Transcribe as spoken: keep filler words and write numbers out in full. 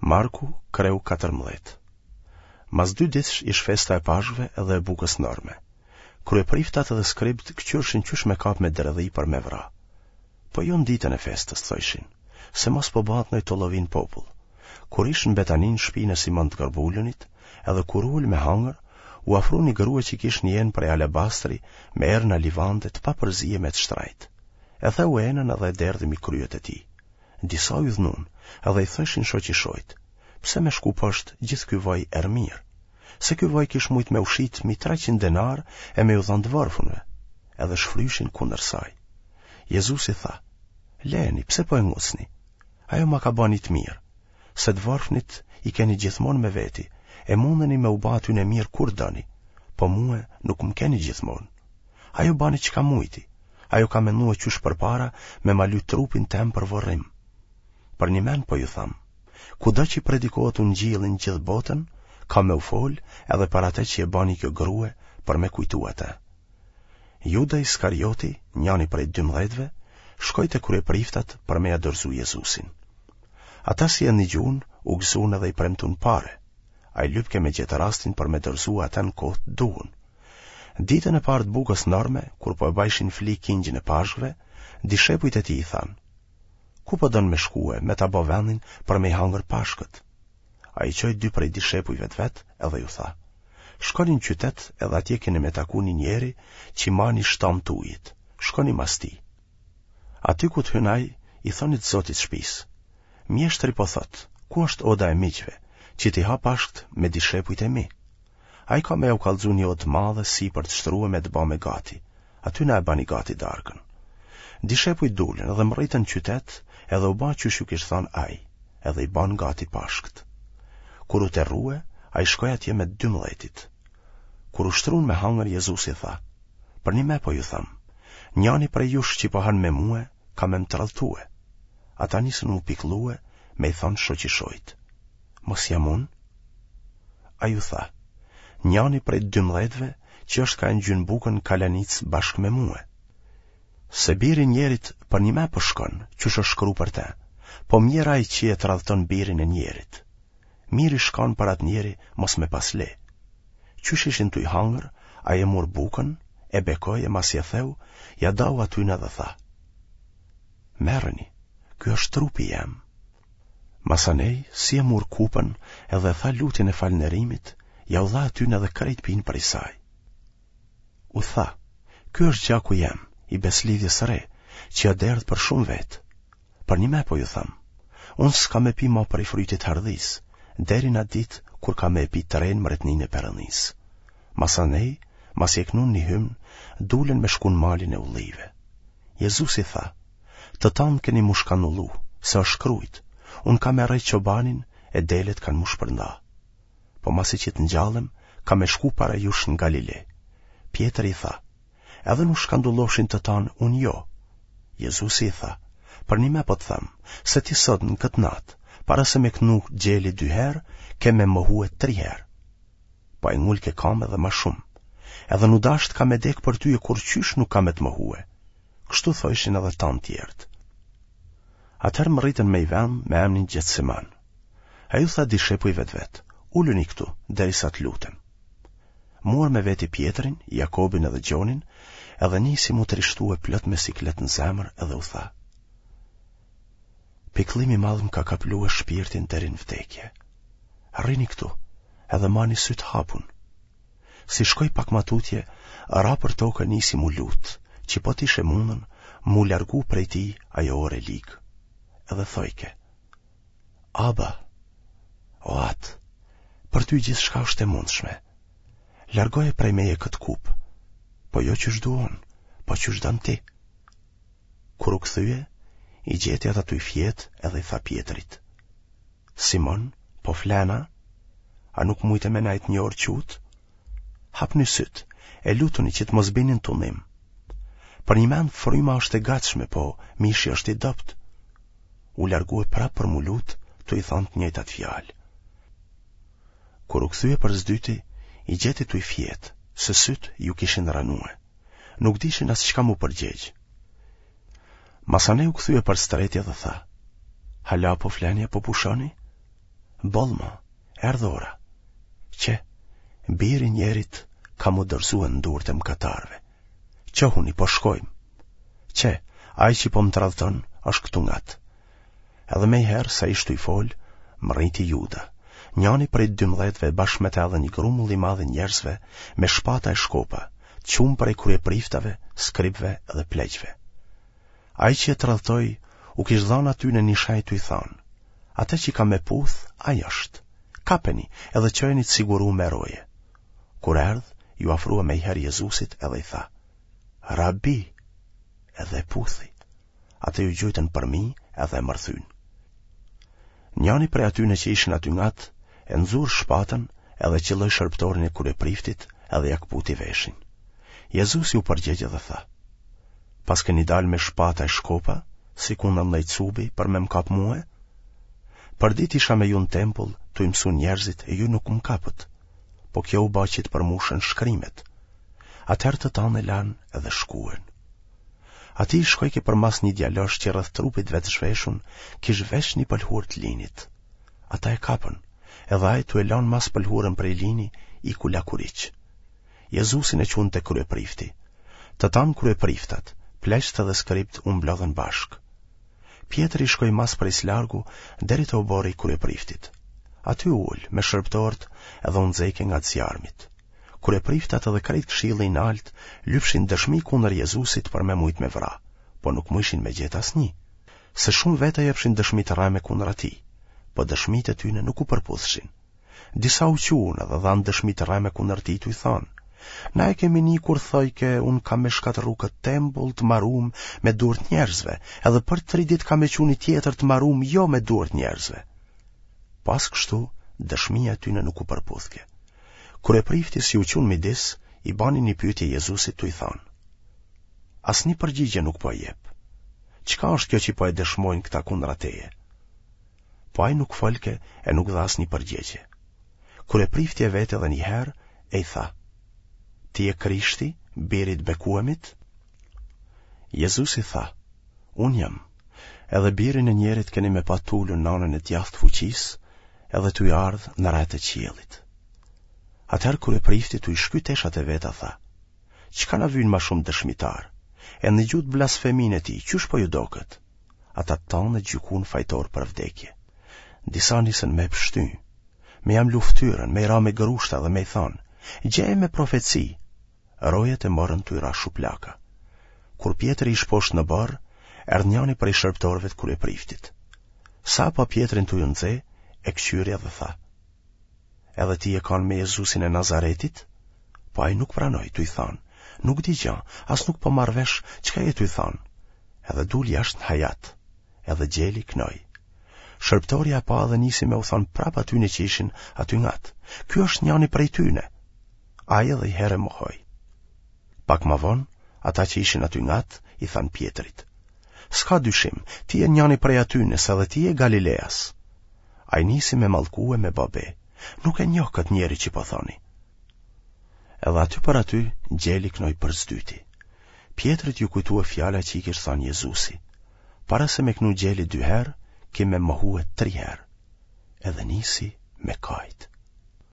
Marku, kreu katërmbëdhjetë. Mas dy ditësh ish festa e Pashkëve edhe e bukës norme. Kryepriftat edhe skribët këqyrshin qysh me kap me dredhi për me vra. Po jo në ditën e festës, thojshin, se mos po bahet noj tollovi n'popull. Kur ish në Betani në shpinë e Simon të Gërbulunit, edhe kur u ul me hangër, u afru një grue që kish një enë prej alabastri me erna livande të papërzieme të shtrajtë. E theu enën edhe e derdhi mi kryet e tij. Disa u idhnun, edhe i thojshin shoqishojt, pse me shku poshtë gjithë ky vaj erëmirë? Se ky vaj kish mujt me u shit mi treqind denarë e me ju dhanë të vorfunve. Edhe shfryshin kundër saj. Jezusi tha, Leni, pse po e ngucni? Ajo ma ka ba një të mirë, se të vorfnit i keni gjithmonë me veti, e mundeni me u ba atyne mirë kur doni, po mue nuk më keni gjithmonë. Ajo bani çka mujti, ajo ka menue qysh përpara me ma ly trupin tem për vorrim. Përnjëmend po ju tham, kudo që predikohet ungjilli në gjithë botën, ka me u fol edhe për atë që e bani kjo grue për me kujtu atë. Juda Iskarioti, njani prej dymbëdhjetëve, shkoi te kryepriftat për me ja dorëzu Jezusin. Ata si e nigjun, u gëzun edhe i premtun pare. Ai lypke me gjetë rastin për me dorëzu atë në kohë të duhun. Ditën e parë të bukës norme, kur po e bajshin fli kingjin e Pashkëve, dishepujt e tij i thanë: Ku po don me shkue, me ta bo vendin për me i hangër Pashkët? Ai çoi dy prej dishepujve të vet edhe ju tha: Shkoni në qytet edhe atje keni me taku një njeri që ma një shtamë të ujit. Shkoni mas tij. Aty ku të hyn ai, i thoni të zotit shpisë: Mjeshtri po thotë, ku është oda e miqve, që t'i ha Pashkët me dishepujt e mi? Ai ka me jau kallxu një odë të madhe sipër të shtrueme të bame gati. Aty na e bani gati darkën. Dishepujt dulën dhe mrritën në qytet edhe u ba qysh ju kish thanë ai, edhe i banë gati Pashkët. Kur u terrue, ai shkoi atje me të dymbëdhjetit. Kur u shtrun me hangër Jezusi tha: Përnime po ju tham, njani prej jush që po han me mue, ka me më tradhtue. Ata nisën m'u pikllue me i thanë shoqishojt: Mos jam unë? Ai u tha, njani prej dymbëdhjetëve që është ka e ngjyn bukën në kalanicë bashkë me mue. Se biri i njerit përnime po shkon, qysh është shkru për te, po mjerë ai që e tradhton birin e njerit. Mirë ish kanë për atë njeri mos me pas le. Qysh ishin tuj hangër, ai e mur bukën, e bekoi e masi e theu, ja dau atyne dhe tha: Merreni, ky është trupi jem. Masanej, si e mur kupën edhe e tha lutjen e falënderimit, ja u dha atyne dhe krejt pinë prej saj. U tha, ky është gjaku jem, i beslidhjes së re, që ja derdh për shumë vetë. Përnime po ju tham, unë s'kam me pi ma prej frytit hardhisë, deri në ditë kur kam me e pi të renë mbretninë e Perëndisë. Masanej, masi e knun një hymn, dulën me shku në malin e ullive. Jezusi tha, të tanë keni m'u shkandullu, se është shkrujt, unë kam me rreh çobanin e delet kanë m'u shpërnda. Po masi që të ngjallem, kam me shku para jush në Galile. Pjetri i tha, edhe n'u shkandullofshin të tanë, unë jo. Jezusi i tha, përnime po të them, se ti sot në këtë natë, para se me knu gjeli dy herë, ke me mohue tri herë. Po ai ngulke kamë edhe ma shumë. Edhe n'u dashtë kam me dekë për ty e kurrqysh nuk kam me të mohue. Kështu thojshin edhe tanë tjerët. Atëherë mrritën me i vend me emnin Gjetseman. Ai u tha dishepujve të vet, uluni këtu, derisa të lutem. Mur me veti Pjetrin, Jakobin edhe Gjonin, edhe nisi m'u trishtue plot me siklet në zemër edhe u tha: Pikëllimi i madh më ka kaplue shpirtin deri në vdekje. Rrini këtu, edhe mani sytë hapun. Si shkoi pak ma tutje, ra për tokë e nisi m'u lut, që po t'ish e mundun, m'u largu prej tij ajo orë e ligë. Edhe thojke, Aba, o atë, për ty gjithçka është e mundshme. Largoje prej meje këtë kupë, po jo qysh du unë, po qysh don ti. Kur u kthye, i gjeti ata tuj fjetë edhe i tha Pjetrit. Simon, po flen a? A nuk mujte me najtë një orë qutë? Hapni sytë, e lutuni që të mos bini në tundim. Përnjëmend fryma është e gatshme, po mishi është i dobët. U largue prapë për m'u lutë, tu i thanë të njëjtat fjalë. Kur u kthye për s'dyti, i gjeti tuj fjetë, se sytë ju kishin ranue. Nuk dishin as çka m'u përgjegj. Masanej u kthye për s'treti dhe tha, Hala po fleni e po pushoni? Boll ma, erdh ora. Qe, biri i njerit ka m'u dorëzue në durët e mëkatarëve. Çohuni, po shkojmë. Qe, ai që po më tradhton, është këtu ngat. Edhe menjëherë, sa ish tuj folë, mrriti Juda, njani prej dymbëdhjetëve bashkë me të edhe një grumull i madh i njerëzve me shpata e shkopa, të çum prej kryepriftave, skribëve dhe pleqve. Ai që e tradhtoi, u kish dhanë atyne një shenjë tuj thanë, atë që kam me puth, ai është. Kapeni edhe çojeni të sigurum me roje. Kur erdh, iu afrua menjëherë Jezusit edhe i tha, Rabi, edhe e puthi. Ata iu gjujtën përmi edhe e mërthyn. Njani prej atyne që ishin aty ngat, e nxur shpatën edhe qëlloi shërbëtorin e kryepriftit edhe ia këputi veshin. Jezusi u përgjegj edhe tha, Paskeni dalë me shpata e shkopa, sikundër ndonjë cubi për me më kapë mue? Përditë isha me ju në tempull, tuj mësu njerëzit e ju nuk më kapët, po kjo u ba që të përmushen shkrimet. Atëherë të tanë e lanë edhe shkuen. Atij i shkojke përmas një djalosh që rreth trupit vet zhveshun, kish veç një pëlhurë të linit. Ata e kapën, edhe ai tu e lanë mas pëlhurën prej lini, iku lakuriq. Jezusin e çunë te kryeprifti. Të tanë kryepriftat, pleqtë dhe skribët u mblodhën bashkë. Pjetri i shkoi mas prej s'largu deri te oborri i kryepriftit. Aty u ul me shërbëtorët edhe u nxejke nga zjarmit. Kryepriftat edhe krejt këshilli i naltë lypshin dëshmi kundër Jezusit për me mujt me vra, po nuk mujshin me gjetë asnjë. Se shumë veta jepshin dëshmi të rreme kundër atij, po dëshmitë e tyne nuk u përputhshin. Disa u çuan edhe dhanë dëshmi të rreme kundër tij tuj thanë, Na e kemi ni kur thojke, unë kam me shkatërru këtë tempull të marum me duart njerëzve, edhe për tri ditë kam me çu një tjetër të marum jo me duart njerëzve. Pas kështu, dëshmia e tyne nuk u përputhke. Kryeprifti si u çu n'midis, i bani një pyetje Jezusit tuj thanë. Asnjë përgjigje nuk po jep. Çka është kjo që po e dëshmojnë këta kundra teje? Po ai nuk folke e nuk dha asnjë përgjigje. Kryeprifti e veti edhe një herë e i tha: Ti je Krishti, biri i të bekuemit? Jezusi tha: Unë jam. Edhe birin e njerit keni me pa t'ulun në anën e djathtë të fuqisë, edhe tuj ardhë në retë e qiellit. Atëherë kryeprifti tuj shky teshat e veta tha: Çka na vynë ma shumë dëshmitarë? E ndëgjutë blasfeminë e tij, qysh po ju doket? Ata tanë e gjykun fajtor për vdekje. Disa nisën me pështy, me ia mlu ftyrën, me i ra me grushta dhe me i thanë, gjeje me profeci, rojet e morën tuj ra shuplaka. Kur Pjetri ish poshtë në oborr, erdh njani prej shërbëtorëve të kryepriftit. Sa pa Pjetrin tuj u nxe, e këqyri edhe tha. Edhe ti je kanë me Jezusin e Nazaretit? Po ai nuk pranoi, tuj thanë, nuk di gja, as nuk po marr vesh çka je tuj thanë. Edhe dul jashtë në hajat, edhe gjeli knoi. Shërbëtorja e pa dhe nisi me u thanë prap atyne që ishin aty ngat. Ky është njani prej tyne. Ai edhe i herë e mohoi. Pak ma vonë, ata që ishin aty ngat, i thanë Pjetrit. S'ka dyshim, ti je njani prej atyne, se edhe ti je Galileas. Ai nisi me mallku e me ba be. Nuk e njoh këtë njeri që po thoni. Edhe aty për aty, gjeli knoi për s'dyti. Pjetrit iu kujtua fjala që i kish thanë Jezusi. Para se me knu gjeli dy herë, ki me mohue tri herë. Edhe nisi me kajt.